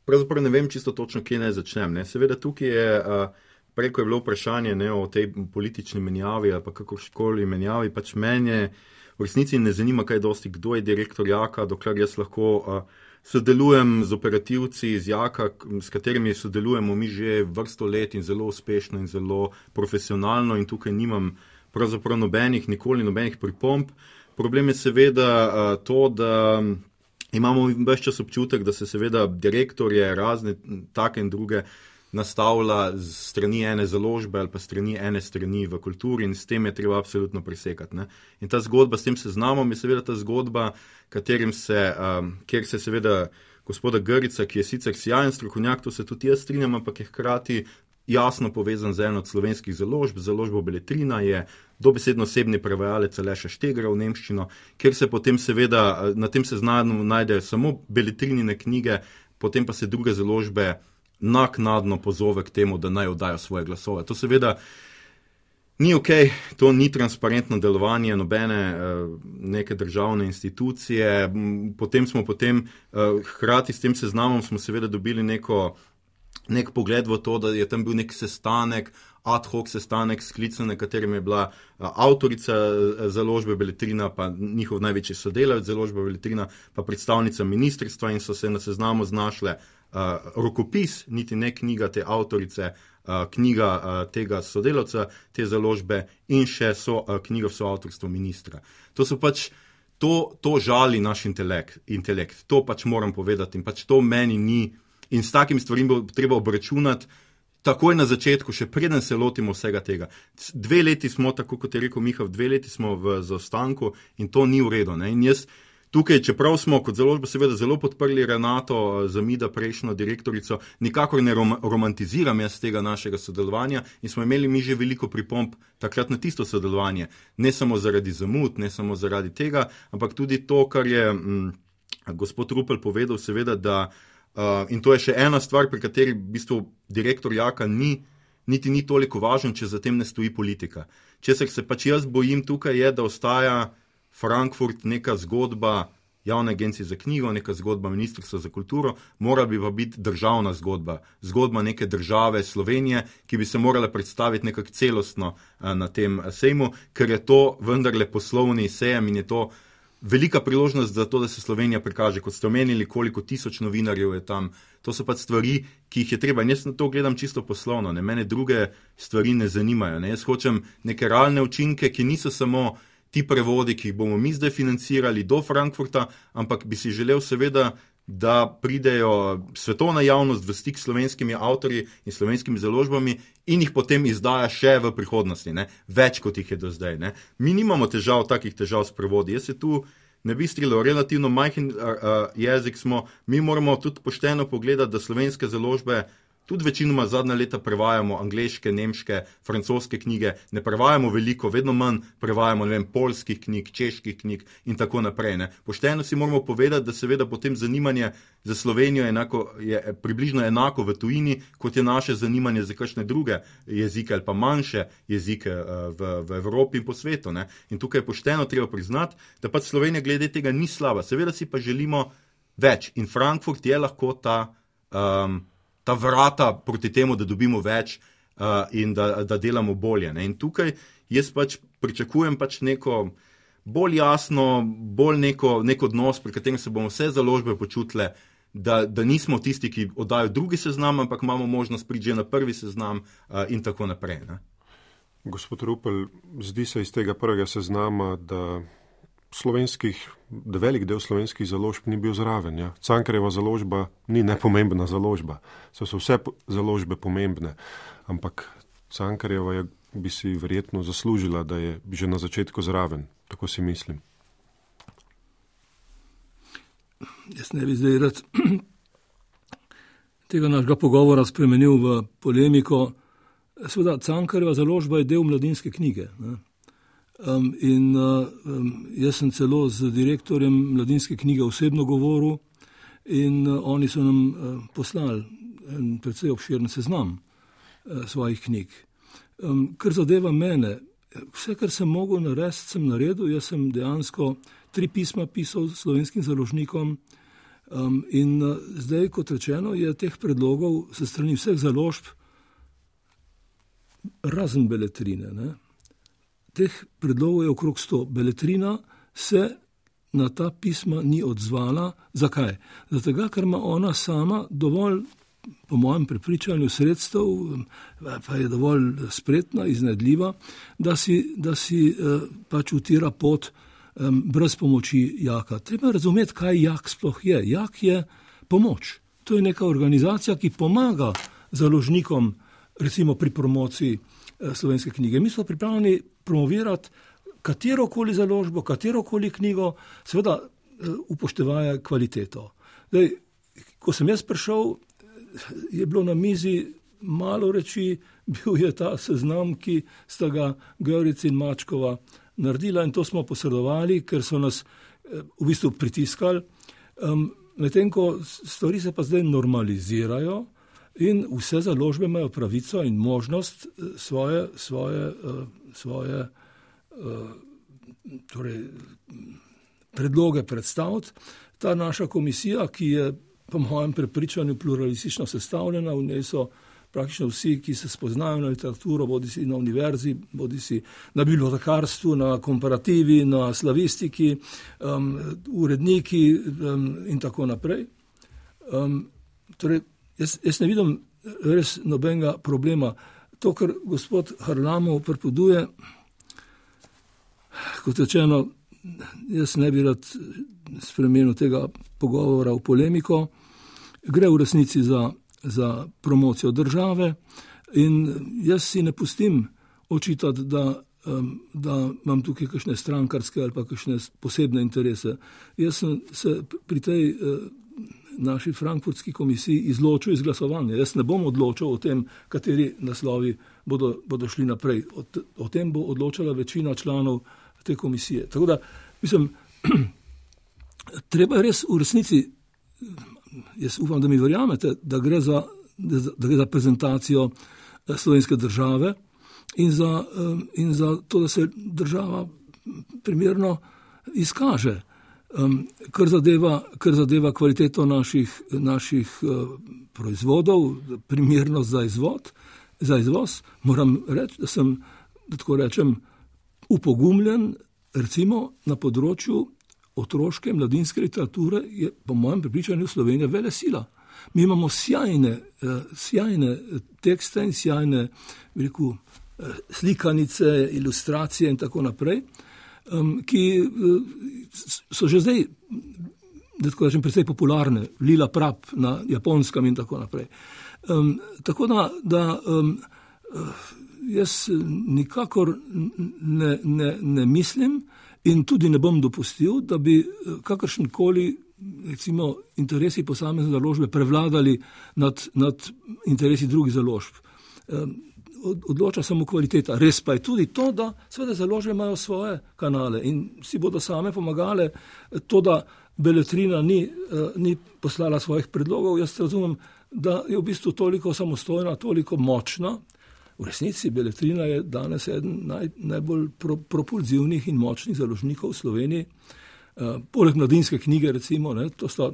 pravzaprav ne vem čisto točno, kje naj začnem. Ne. Seveda tukaj je, preko je bilo vprašanje o tej politični menjavi ali pa kakorkoli menjavi, pač mene v resnici ne zanima kaj dosti, kdo je direktor Jaka, dokler jaz lahko sodelujem z operativci iz Jaka, s katerimi sodelujemo mi že vrsto let in zelo uspešno in zelo profesionalno in tukaj nimam pravzaprav nikoli nobenih pripomb. Problem je seveda to, da imamo ves čas občutek, da se seveda direktorje razne take in druge nastavlja z strani ene založbe ali pa strani ene strani v kulturi in s tem je treba absolutno presekati. Ne? In ta zgodba s tem seznamom je seveda ta zgodba, kjer se seveda gospoda Göritza, ki je sicer sjajen strokovnjak, to se tudi jaz strinjam, ampak je hkrati jasno povezan z eno od slovenskih založb. Založba Beletrina je dobesedno osebni prevajalec Aleša Štegra v nemščino, kjer se potem seveda na tem seznamu najdejo samo Beletrinine knjige, potem pa se druge založbe naknadno pozove k temu, da naj oddajo svoje glasove. To seveda ni okej, to ni transparentno delovanje nobene neke državne institucije. Potem hkrati s tem seznamom smo seveda dobili nek pogled v to, da je tam bil nek sestanek, ad hoc sestanek sklican, na katerem je bila avtorica založbe Beletrina, pa njihov največji sodelavec založbe Beletrina, pa predstavnica ministrstva in so se na seznamu znašle rokopis, niti ne knjiga te avtorice, knjiga tega sodelavca, te založbe in še knjiga v soavtorstvu ministra. To so pač, to žali naš intelekt. To pač moram povedati in pač to meni ni. In s takim stvarim bo treba obračunati takoj na začetku, še preden se lotimo vsega tega. 2 leti smo, tako kot je rekel Miha, 2 leti smo v zaostanku in to ni v redu. Ne? In jaz tukaj, čeprav smo kot založba seveda zelo podprli Renato Zamida, prejšnjo direktorico, nikakor ne romantiziram jaz tega našega sodelovanja in smo imeli mi že veliko pripomb takrat na tisto sodelovanje. Ne samo zaradi zamud, ne samo zaradi tega, ampak tudi to, kar je gospod Rupel povedal, seveda, da in to je še ena stvar, pri kateri v bistvu direktor Jaka niti ni toliko važen, če za tem ne stoji politika. Česar se pač jaz bojim tukaj je, da ostaja Frankfurt neka zgodba javne agencije za knjigo, neka zgodba Ministrstva za kulturo, mora bi pa biti državna zgodba, zgodba neke države Slovenije, ki bi se morala predstaviti nekako celostno na tem sejmu, ker je to vendarle poslovni sejem in je to velika priložnost za to, da se Slovenija prikaže, kot ste omenili, koliko tisoč novinarjev je tam. To so pač stvari, ki jih je treba. In jaz na to gledam čisto poslovno. Mene druge stvari ne zanimajo. Jaz hočem neke realne učinke, ki niso samo ti prevodi, ki jih bomo mi zdaj financirali do Frankfurta, ampak bi si želel seveda, da pridejo svetovna javnost v stik s slovenskimi avtorji in slovenskimi založbami in jih potem izdaja še v prihodnosti, več kot jih je do zdaj. Mi nimamo takih težav s prevodi. Jaz se tu ne bi strilil, relativno majhen jezik smo, mi moramo tudi pošteno pogledati, da slovenske založbe tudi večinoma zadnja leta prevajamo angleške, nemške, francoske knjige, ne prevajamo veliko, vedno manj prevajamo, poljskih knjig, čeških knjig in tako naprej. Pošteno si moramo povedati, da seveda potem zanimanje za Slovenijo je približno enako v tujini, kot je naše zanimanje za kakšne druge jezike ali pa manjše jezike v Evropi in po svetu. In tukaj je pošteno treba priznati, da pač Slovenija glede tega ni slaba. Seveda si pa želimo več in Frankfurt je lahko ta vrata proti temu, da dobimo več in da delamo bolje. In tukaj jaz pač pričakujem neko bolj jasno, bolj nek odnos, pri katerem se bomo vse založbe počutile, da nismo tisti, ki oddajo drugi seznam, ampak imamo možnost priti že na prvi seznam in tako naprej. Gospod Rupel, zdi se iz tega prvega seznama, da velik del slovenskih založb ni bil zraven. Ja? Cankarjeva založba ni nepomembna založba. So vse založbe pomembne, ampak Cankarjeva bi si verjetno zaslužila, da je že na začetku zraven. Tako si mislim. Jaz ne bi zdaj rad tega našega pogovora spremenil v polemiko. Seveda, Cankarjeva založba je del Mladinske knjige. Jaz sem celo z direktorjem Mladinske knjige osebno govoril in oni so nam poslali en precej obširen seznam svojih knjig. Kar zadeva mene, vse, kar sem mogel narediti, sem naredil. Jaz sem dejansko 3 pisma pisal slovenskim založnikom in zdaj, kot rečeno, je teh predlogov se strani vseh založb razen Beletrine. Teh predlogov je okrog 100. Beletrina se na ta pisma ni odzvala. Zakaj? Zato, ker ima ona sama dovolj, po mojem prepričanju, sredstev, pa je dovolj spretna, iznajdljiva, da si pač utira pot brez pomoči JAK-a. Treba razumeti, kaj JAK sploh je. JAK je pomoč. To je neka organizacija, ki pomaga založnikom, recimo pri promociji slovenske knjige. Mi smo pripravljeni promovirati katerokoli založbo, katerokoli knjigo, seveda upoštevaje kvaliteto. Zdaj, ko sem jaz prišel, je bilo na mizi malo reči, bil je ta seznam, ki sta ga Göric in Mačkova naredila in to smo posredovali, ker so nas v bistvu pritiskali. Medtem ko stvari se pa zdaj normalizirajo, in vse založbe imajo pravico in možnost svoje predloge predstaviti. Ta naša komisija, ki je po mojem prepričanju pluralistično sestavljena, v njej so praktično vsi, ki se spoznajo na literaturo, bodisi na univerzi, bodisi na bibliotekarstvu, na komparativi, na slavistiki, uredniki in tako naprej. Jaz ne vidim res nobenega problema. To, kar gospod Harlamov prepoduje, kot rečeno, jaz ne bi rad spremenil tega pogovora v polemiko, gre v resnici za promocijo države in jaz si ne pustim očitati, da imam tukaj kakšne strankarske ali pa kakšne posebne interese. Jaz sem se pri tej naši frankfurtski komisiji izločil iz glasovanja. Jaz ne bom odločil o tem, kateri naslovi bodo šli naprej. O tem bo odločala večina članov te komisije. Tako da, mislim, treba res v resnici, jaz upam, da mi verjamete, da gre za prezentacijo slovenske države in za to, da se država primerno izkaže. Kar zadeva kvaliteto naših proizvodov, primernost za izvoz, moram reči, da sem, da tako rečem, upogumljen, recimo na področju otroške mladinske literature je po mojem prepričanju Slovenija velesila. Mi imamo sjajne tekste in sjajne, bi rekel, slikanice, ilustracije in tako naprej, ki so že zdaj, da tako rečem, precej popularne, Lila Prap na Japonskem in tako naprej. Tako da jaz nikakor ne mislim in tudi ne bom dopustil, da bi kakršenkoli recimo interesi posamezne založbe prevladali nad interesi drugih založb. Odloča samo kvaliteta. Res pa je tudi to, da seveda založbe imajo svoje kanale in si bodo same pomagale. To, da Beletrina ni poslala svojih predlogov, jaz razumem, da je v bistvu toliko samostojna, toliko močna. V resnici Beletrina je danes eden najbolj propulzivnih in močnih založnikov v Sloveniji. Poleg Mladinske knjige, recimo, to sta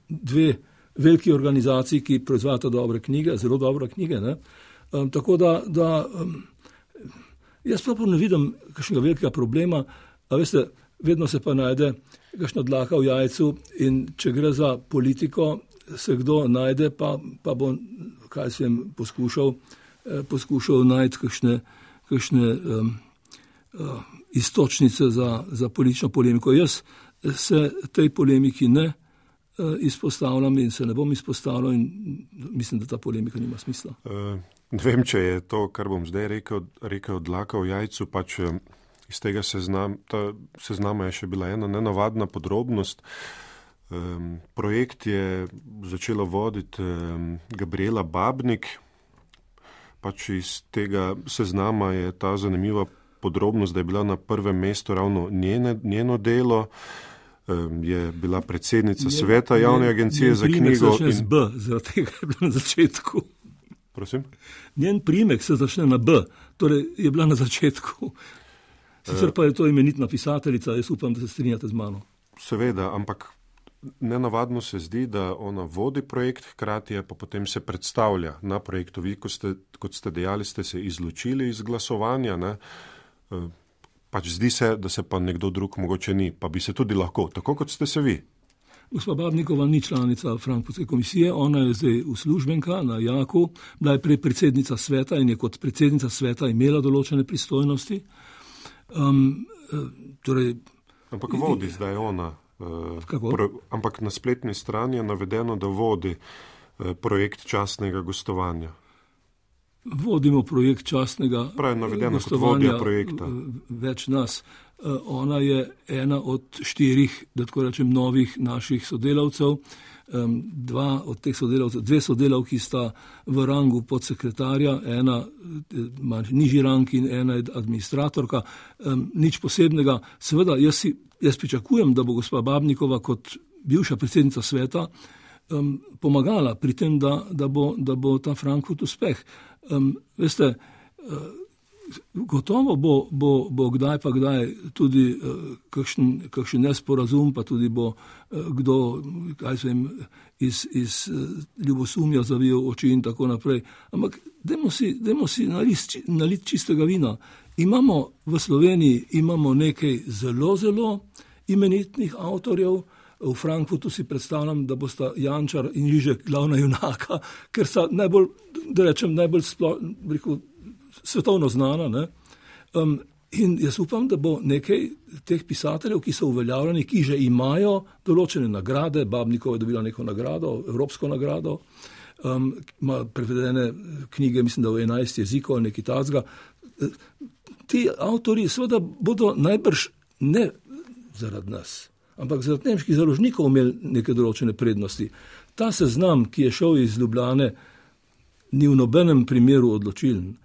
dve veliki organizaciji, ki proizvajata dobre knjige, zelo dobre knjige. Tako da jaz prav ne vidim kakšnega velikega problema, a veste, vedno se pa najde kakšna dlaka v jajcu in če gre za politiko, se kdo najde, pa bo, kaj sem poskušal najti kakšne istočnice za politično polemiko. Jaz se tej polemiki ne izpostavljam in se ne bom izpostavljal in mislim, da ta polemika nima smisla. Ne vem, če je to, kar bom zdaj rekel dlaka v jajcu, pač iz tega seznama je še bila ena nenavadna podrobnost. Projekt je začela voditi Gabriela Babnik. Pač iz tega seznama je ta zanimiva podrobnost, da je bila na prvem mestu ravno njeno delo, je bila predsednica sveta javne agencije za knjigo. Njen primek se začne z B, zaradi tega je bila na začetku. Prosim? Njen primek se začne na B, torej je bila na začetku. Sicer pa je to imenitna pisateljica, jaz upam, da se strinjate z mano. Seveda, ampak nenavadno se zdi, da ona vodi projekt, hkrati je pa potem se predstavlja na projektu. Vi, kot ste dejali, ste se izločili iz glasovanja, ne? Pač zdi se, da se pa nekdo drug mogoče ni, pa bi se tudi lahko, tako kot ste se vi. Gospa Babnikova ni članica Frankfurtske komisije, ona je zdaj uslužbenka na Jaku, bila je prej predsednica sveta in je kot predsednica sveta imela določene pristojnosti. Ampak vodi zdaj ona. Ampak na spletni strani je navedeno, da vodi projekt častnega gostovanja. Vodimo projekt častnega gostovanja, več nas. Ona je ena od 4, da tako rečem, novih naših sodelavcev. Dve sodelavki sta v rangu podsekretarja, ena nižji rang in ena je administratorka. Nič posebnega. Seveda, jaz pričakujem, da bo gospa Babnikova kot bivša predsednica sveta pomagala pri tem, da bo ta Frankfurt uspeh. Veste, gotovo bo kdaj pa kdaj tudi kakšen nesporazum, pa tudi bo kdo, iz ljubosumja zavijal oči in tako naprej. Ampak dajmo si naliti čistega vina. V Sloveniji imamo nekaj zelo, zelo imenitnih avtorjev. V Frankfurtu si predstavljam, da bosta Jančar in Žižek glavna junaka, ker sta najbolj svetovno znana. Ne? In jaz upam, da bo nekaj teh pisateljev, ki so uveljavljeni, ki že imajo določene nagrade, Babnikova je dobila neko nagrado, evropsko nagrado, ima prevedene knjige, mislim, da v 11 jezikov ali nekaj takega. Ti avtori seveda bodo najbrž ne zaradi nas, ampak zaradi nemških založnikov imeli neke določene prednosti. Ta seznam, ki je šel iz Ljubljane, ni v nobenem primeru odločilen.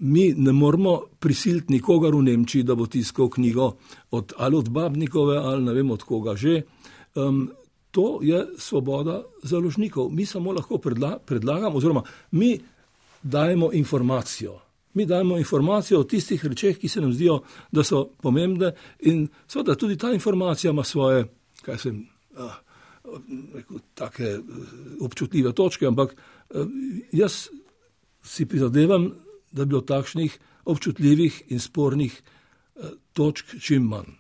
Mi ne moramo prisiliti nikogar v Nemčiji, da bo tiskal knjigo ali od Babnikove ali ne vem od koga že. To je svoboda založnikov. Mi samo lahko predlagamo, oziroma mi dajemo informacijo. mi dajemo informacijo o tistih rečeh, ki se nam zdijo, da so pomembne in seveda tudi ta informacija ima svoje, take občutljive točke, ampak jaz si prizadevam, da bi bilo takšnih občutljivih in spornih točk čim manj.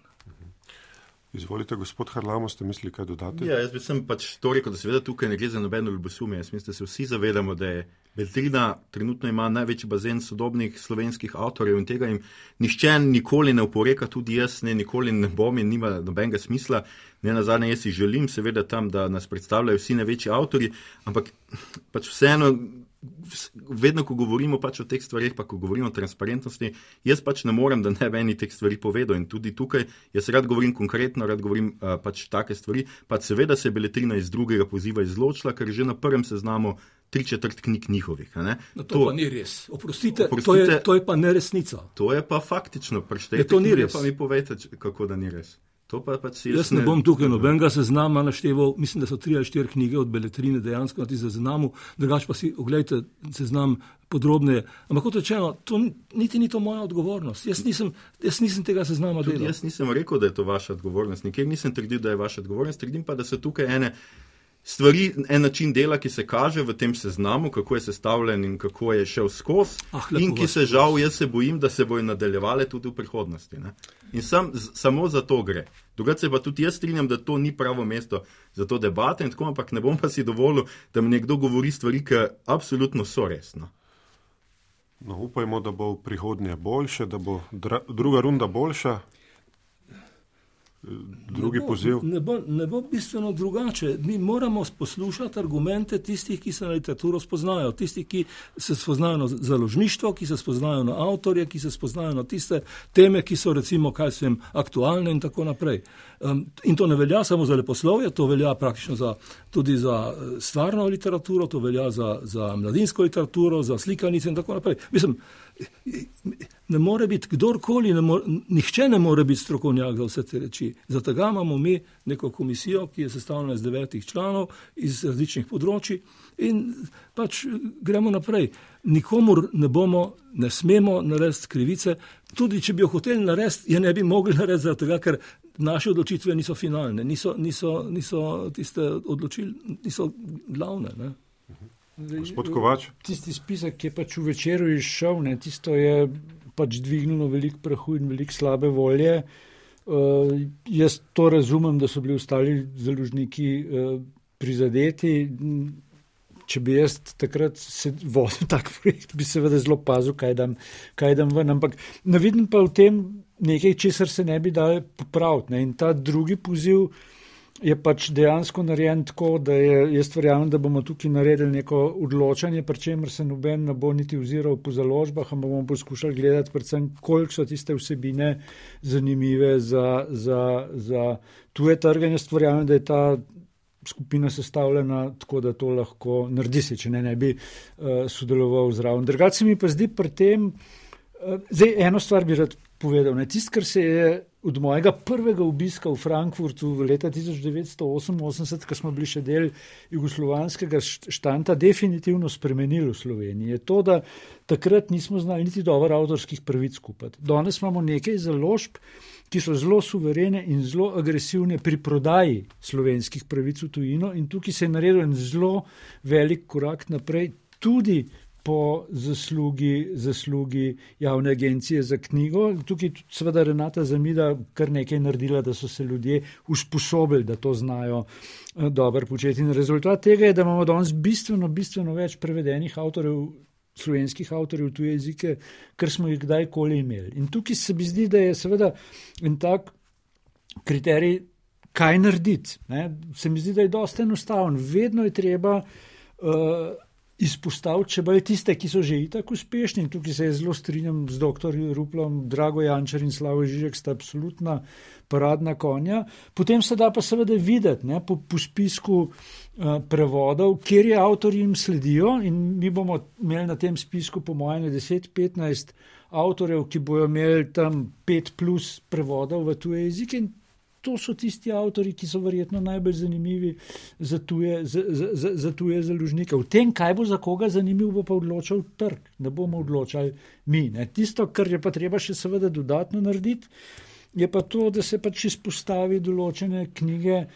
Izvolite, gospod Harlamo, ste mislili kaj dodati? Ja, jaz bi sem to rekel, da seveda tukaj ne gre za nobeno ljubosumje. Jaz mislim, da se vsi zavedamo, da je Beletrina trenutno ima največji bazen sodobnih slovenskih avtorjev in tega jim nihče nikoli ne oporeka, tudi jaz nikoli ne bom in nima nobenega smisla. Ne nazadnje, jaz si želim seveda tam, da nas predstavljajo vsi največji avtorji, ampak vseeno, vedno, ko govorimo o teh stvarih, pa ko govorimo o transparentnosti, jaz ne morem, da ne bi eni teh stvari povedal in tudi tukaj, jaz rad govorim konkretno, rad govorim take stvari, seveda se je Beletrina iz drugega poziva izločila, ker že na prvem seznamu 3/4 knjig njihovih. No, to pa ni res. Oprostite. To je pa neresnica. To je pa faktično, preštejte knjige, pa mi povejte, kako da ni res. Jaz ne bom tukaj nobenega seznama našteval, mislim, da so 3 ali 4 knjige od Beletrine dejansko na tistem seznamu, drugače pa si oglejte seznam podrobneje. Ampak kot rečeno, niti ni to moja odgovornost. Jaz nisem tega seznama delal. Jaz nisem rekel, da je to vaša odgovornost. Nikjer nisem trdil, da je vaša odgovornost. Trdim pa, da so tukaj ene stvari, en način dela, ki se kaže v tem seznamu, kako je sestavljen in kako je šel skozi in ki se žal, jaz se bojim, da se bojo nadaljevale tudi v prihodnosti. Ne? In samo za to gre. Drugače se pa tudi jaz strinjam, da to ni pravo mesto za to debate in tako, ampak ne bom pa si dovolil, da mi nekdo govori stvari, ki absolutno so resno. No, upajmo, da bo v prihodnje boljše, da bo druga runda boljša. Drugi poziv. Ne bo bistveno drugače. Mi moramo poslušati argumente tistih, ki se na literaturo spoznajo, tistih, ki se spoznajo na založništvo, ki se spoznajo na avtorje, ki se spoznajo na tiste teme, ki so recimo aktualne in tako naprej. In to ne velja samo za leposlovje, to velja praktično tudi za stvarno literaturo, to velja za mladinsko literaturo, za slikanice in tako naprej. Mislim, ne more biti kdorkoli, nihče ne more biti strokovnjak za vse te reči. Zato imamo mi neko komisijo, ki je sestavljena iz 9 članov iz različnih področij in gremo naprej. Nikomur ne smemo narediti krivice, tudi če bi jo hoteli narediti, je ne bi mogli narediti zaradi tega, ker naše odločitve niso finalne, niso tiste odločitve, niso glavne, ne. Gospod Kovač. Tisti spisek, ki je v Večeru izšel, tisto je dvignilo veliko prahu in veliko slabe volje. Jaz to razumem, da so bili ostali založniki prizadeti. Če bi jaz takrat se vodil tak projekt, bi seveda zelo pazil, kaj dam ven. Ampak ne vidim pa v tem nekaj, česar se ne bi dal popraviti. In ta drugi poziv je dejansko narejen tako, da jaz verjamem, da bomo tukaj naredili neko odločanje, pri čemer se noben ne bo niti oziral po založbah, ampak bomo poskušali gledati predvsem, koliko so tiste vsebine zanimive za tuje trge. Jaz verjamem, da je ta skupina sestavljena tako, da to lahko naredi se, če ne bi sodeloval zraven. Drugače se mi pa zdi pri tem, eno stvar bi rad povedal, tisto, kar se je od mojega prvega obiska v Frankfurtu v leta 1988, ko smo bili še del jugoslovanskega štanta, definitivno spremenilo v Sloveniji, je to, da takrat nismo znali niti dobro avtorskih pravic kupiti. Danes imamo nekaj založb, ki so zelo suverene in zelo agresivne pri prodaji slovenskih pravic v tujino in tukaj se je naredil en zelo velik korak naprej, tudi po zaslugi javne agencije za knjigo. Tukaj seveda Renata Zamida kar nekaj naredila, da so se ljudje usposobili, da to znajo dobro početi. In rezultat tega je, da imamo danes bistveno več prevedenih avtorjev, slovenskih avtorjev v tuje jezike, kar smo jih kdajkoli imeli. In tukaj se mi zdi, da je seveda en tak kriterij, kaj narediti. Se mi zdi, da je dosti enostaven. Vedno je treba izpostaviti, če bolj tiste, ki so že itak uspešni, in tukaj se zelo strinjam z dr. Ruplom, Drago Jančar in Slavoj Žižek sta absolutna paradna konja. Potem se da pa seveda videti po spisku prevodov, kjer je avtorji jim sledijo in mi bomo imeli na tem spisku po mojem 10-15 avtorjev, ki bojo imeli tam 5+ prevodov v tuje jezike in to so tisti avtori, ki so verjetno najbolj zanimivi za tuje založnike. V tem, kaj bo za koga zanimiv, bo pa odločal trg, ne bomo odločali mi. Ne. Tisto, kar je pa treba še seveda dodatno narediti, je pa to, da se pač izpostavi določene knjige,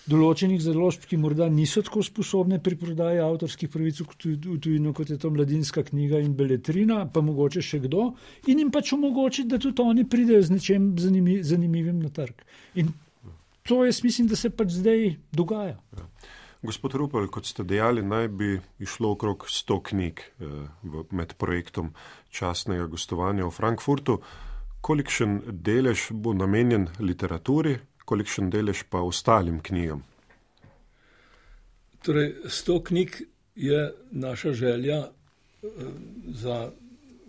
določenih založb, ki morda niso tako sposobne pri prodaji avtorskih pravic v tujino, kot je to Mladinska knjiga in Beletrina, pa mogoče še kdo, in jim pač omogočiti, da tudi oni pridejo z nečem zanimivim na trg. In to jaz mislim, da se pač zdaj dogaja. Ja. Gospod Rupel, kot ste dejali, naj bi išlo okrog 100 knjig med projektom častnega gostovanja v Frankfurtu. Kolikšen delež bo namenjen literaturi, kolikšen delež pa ostalim knjigam? Torej, 100 knjig je naša želja za,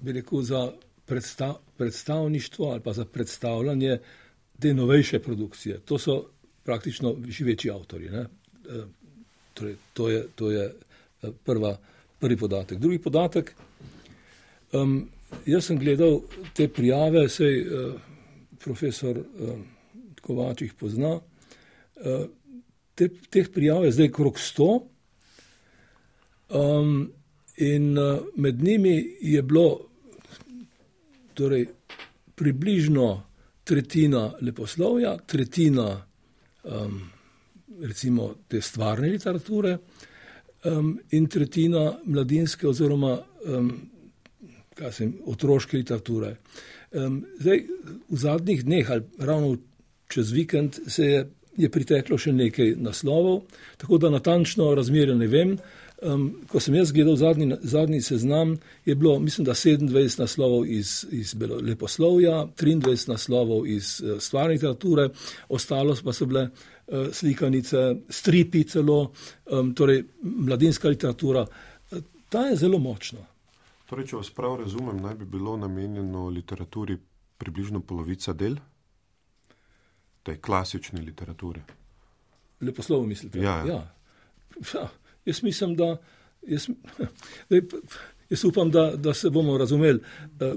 bi rekel, za predstavništvo ali pa za predstavljanje te novejše produkcije. To so praktično živeči avtorji. Ne? Torej, to je prvi podatek. Drugi podatek, jaz sem gledal te prijave, sej profesor Kovač jih pozna. Teh prijav je zdaj krog 100 in med njimi je bilo torej, približno tretjina leposlovja, tretjina recimo te stvarne literature in tretjina mladinske oziroma otroške literature. Zdaj, v zadnjih dneh ali ravno čez vikend je priteklo še nekaj naslovov, tako da natančno razmerje ne vem. Ko sem jaz gledal zadnji seznam, je bilo, mislim, da 27 naslovov iz leposlovja, 23 naslovov iz stvarne literature, ostalo pa so bile slikanice, stripi celo, torej mladinska literatura. Ta je zelo močna. Torej, če vas prav razumem, naj bi bilo namenjeno literaturi približno polovica del? Tej klasični literaturi. Leposlovo mislite? Ja. Jaz mislim, da jaz upam, da se bomo razumeli.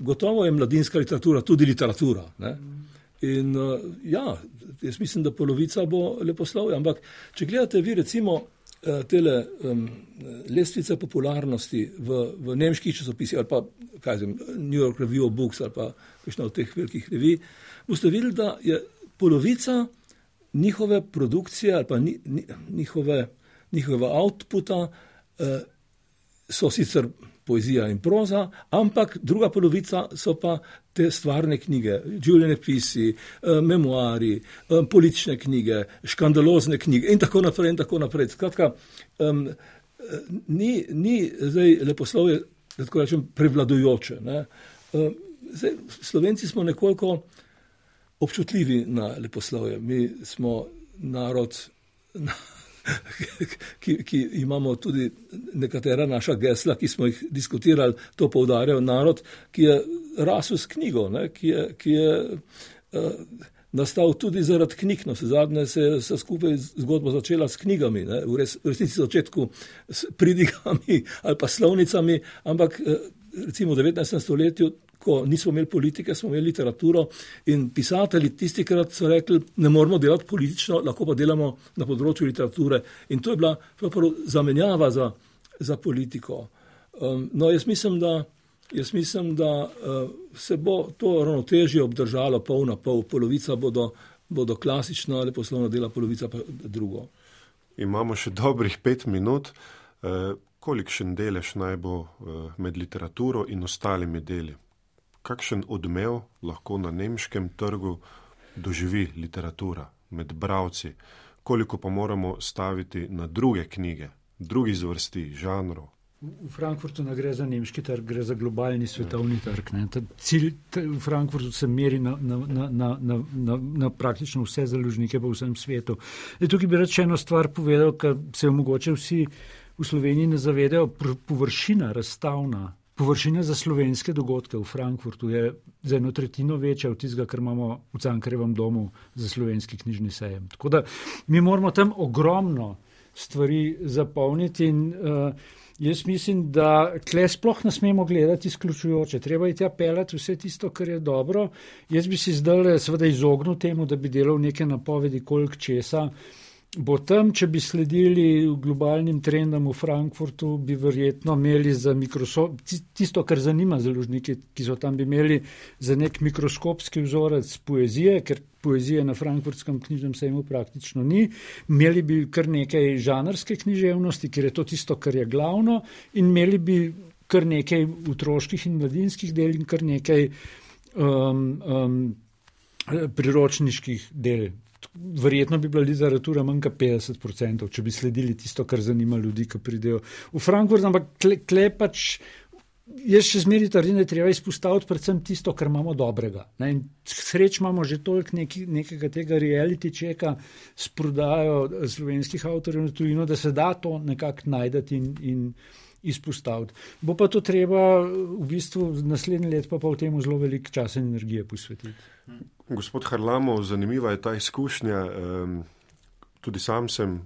Gotovo je mladinska literatura tudi literatura. Ne? In jaz mislim, da polovica bo leposlovja. Ampak, če gledate vi recimo tele lestvice popularnosti v nemških časopisih ali pa New York Review of Books ali pa kakšna od teh velikih revij, boste videli, da je polovica njihove produkcije ali pa njihovega outputa so sicer poezija in proza, ampak druga polovica so pa te stvarne knjige, življenjepisi, memoari, politične knjige, škandalozne knjige in tako naprej. Skratka, ni zdaj leposlovje, da tako rečem, prevladujoče. Ne? Zdaj, Slovenci smo nekoliko občutljivi na leposlovje. Mi smo narod, ki imamo tudi nekatera naša gesla, ki smo jih diskutirali, to poudarjajo, narod, ki je rasel s knjigo, ne, ki je nastal tudi zaradi knjig. No, zadnje se skupaj zgodba začela s knjigami, ne, v resnici začetku s pridigami ali pa slovnicami, ampak recimo v 19. stoletju, ko nismo imeli politike, smo imeli literaturo in pisatelji tistikrat so rekli, ne moramo delati politično, lahko pa delamo na področju literature. In to je bila zamenjava za politiko. No, jaz mislim, da se bo to ravnotežje obdržalo pol na pol. Polovica bodo klasična leposlovna dela, polovica pa drugo. Imamo še dobrih 5 minut. Kolikšen delež naj bo med literaturo in ostalimi deli? Kakšen odmev lahko na nemškem trgu doživi literatura med bralci? Koliko pa moramo staviti na druge knjige, drugih zvrsti, žanrov? V Frankfurtu ne gre za nemški trg, gre za globalni svetovni trg. Ne. Cilj v Frankfurtu se meri na praktično vse založnike po vsem svetu. Tukaj bi rad še eno stvar povedal, ker se mogoče vsi v Sloveniji ne zavedajo, površina razstavna. Površina za slovenske dogodke v Frankfurtu je za 1/3 večja od tistega, kar imamo v Cankarjevem domu za slovenski knjižni sejem. Tako da mi moramo tam ogromno stvari zapolniti in Jaz mislim, da tle sploh ne smemo gledati izključujoče. Treba je tja pelati vse tisto, kar je dobro. Jaz bi si zdaj seveda izognil temu, da bi delal neke napovedi, koliko česa bo tam. Če bi sledili globalnim trendom v Frankfurtu, bi verjetno imeli za tisto, kar zanima založnike, ki so tam, bi imeli za nek mikroskopski vzorec poezije, ker poezije na frankfurtskem knjižnem sejmu praktično ni. Imeli bi kar nekaj žanrske književnosti, ker je to tisto, kar je glavno, in imeli bi kar nekaj otroških in mladinskih del in kar nekaj priročniških del. Verjetno bi bila literatura manj kot 50%, če bi sledili tisto, kar zanima ljudi, ki pridejo v Frankfurt, ampak tle pač jaz še zmeri trdim, da je treba izpostaviti predvsem tisto, kar imamo dobrega. In sreč imamo že toliko nekega tega reality checka s prodajo slovenskih avtorjev na tujino, da se da to nekako najdeti in izpostaviti. Bo pa to treba v bistvu naslednje let pa v temu zelo veliko časa in energije posvetiti. Gospod Harlamov, zanimiva je ta izkušnja. Tudi sam sem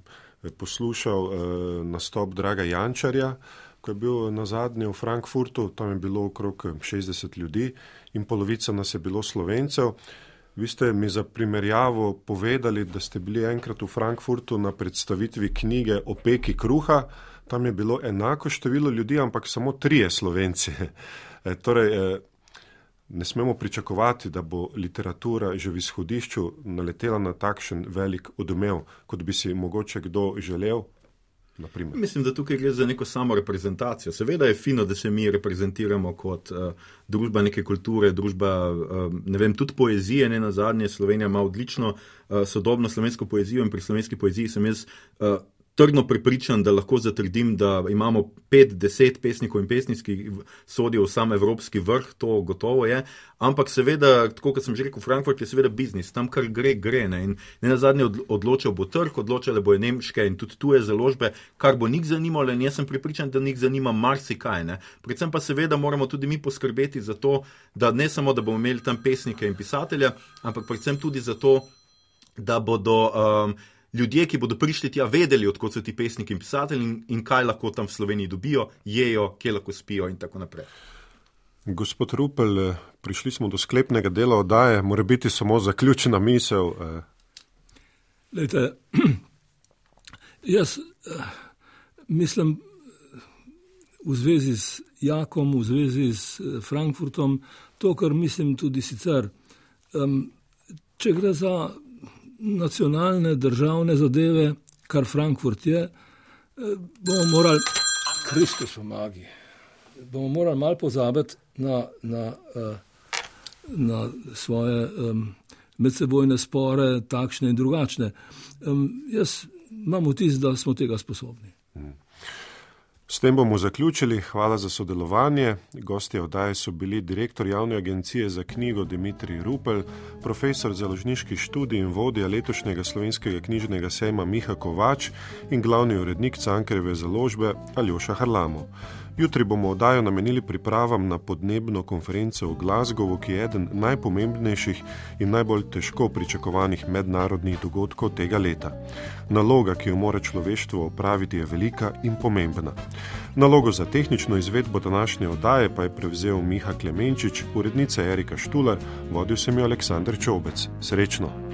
poslušal nastop Draga Jančarja, ko je bil nazadnje v Frankfurtu. Tam je bilo okrog 60 ljudi in polovica nas je bilo Slovencev. Vi ste mi za primerjavo povedali, da ste bili enkrat v Frankfurtu na predstavitvi knjige o peki kruha. Tam je bilo enako število ljudi, ampak samo 3 Slovenci. Torej, ne smemo pričakovati, da bo literatura že v izhodišču naletela na takšen velik odmev, kot bi si mogoče kdo želel. Naprimer. Mislim, da tukaj gre za neko samo reprezentacijo. Seveda je fino, da se mi reprezentiramo kot družba neke kulture, družba, tudi poezije, ne nazadnje. Slovenija ima odlično sodobno slovensko poezijo in pri slovenski poeziji sem jaz trdno prepričan, da lahko zatrdim, da imamo 5-10 pesnikov in pesnic, ki sodijo v sam evropski vrh, to gotovo je, ampak seveda, tako kot sem že rekel, Frankfurt je seveda biznis, tam kar gre, ne, in ne nazadnje odločal bo trg, odločale bojo nemške in tudi tuje založbe, kar bo njih zanimalo in jaz sem prepričan, da njih zanima marsikaj, ne. Predvsem pa seveda moramo tudi mi poskrbeti za to, da ne samo, da bomo imeli tam pesnike in pisatelja, ampak predvsem tudi za to, da bodo ljudje, ki bodo prišli tja, vedeli, odkot so ti pesniki in pisatelji in kaj lahko tam v Sloveniji dobijo, jejo, kje lahko spijo in tako naprej. Gospod Rupel, prišli smo do sklepnega dela oddaje, mora biti samo zaključena misel. Lejte, jaz mislim v zvezi z Jakom, v zvezi s Frankfurtom, to, kar mislim tudi sicer. Če gre za nacionalne, državne zadeve, kar Frankfurt je, bomo morali, Kristus pomagi, bomo morali malo pozabiti na svoje medsebojne spore, takšne in drugačne. Jaz imam vtis, da smo tega sposobni. S tem bomo zaključili. Hvala za sodelovanje. Gostje oddaje so bili direktor Javne agencije za knjigo Dimitrij Rupel, profesor založniških študij in vodja letošnjega slovenskega knjižnega sejma Miha Kovač in glavni urednik Cankarjeve založbe Aljoša Harlamov. Jutri bomo oddajo namenili pripravam na podnebno konferenco v Glasgowu, ki je eden najpomembnejših in najbolj težko pričakovanih mednarodnih dogodkov tega leta. Naloga, ki jo mora človeštvo opraviti, je velika in pomembna. Nalogo za tehnično izvedbo današnje oddaje pa je prevzel Miha Klemenčič, urednica Erika Štular, vodil sem jo Aleksander Čobec. Srečno!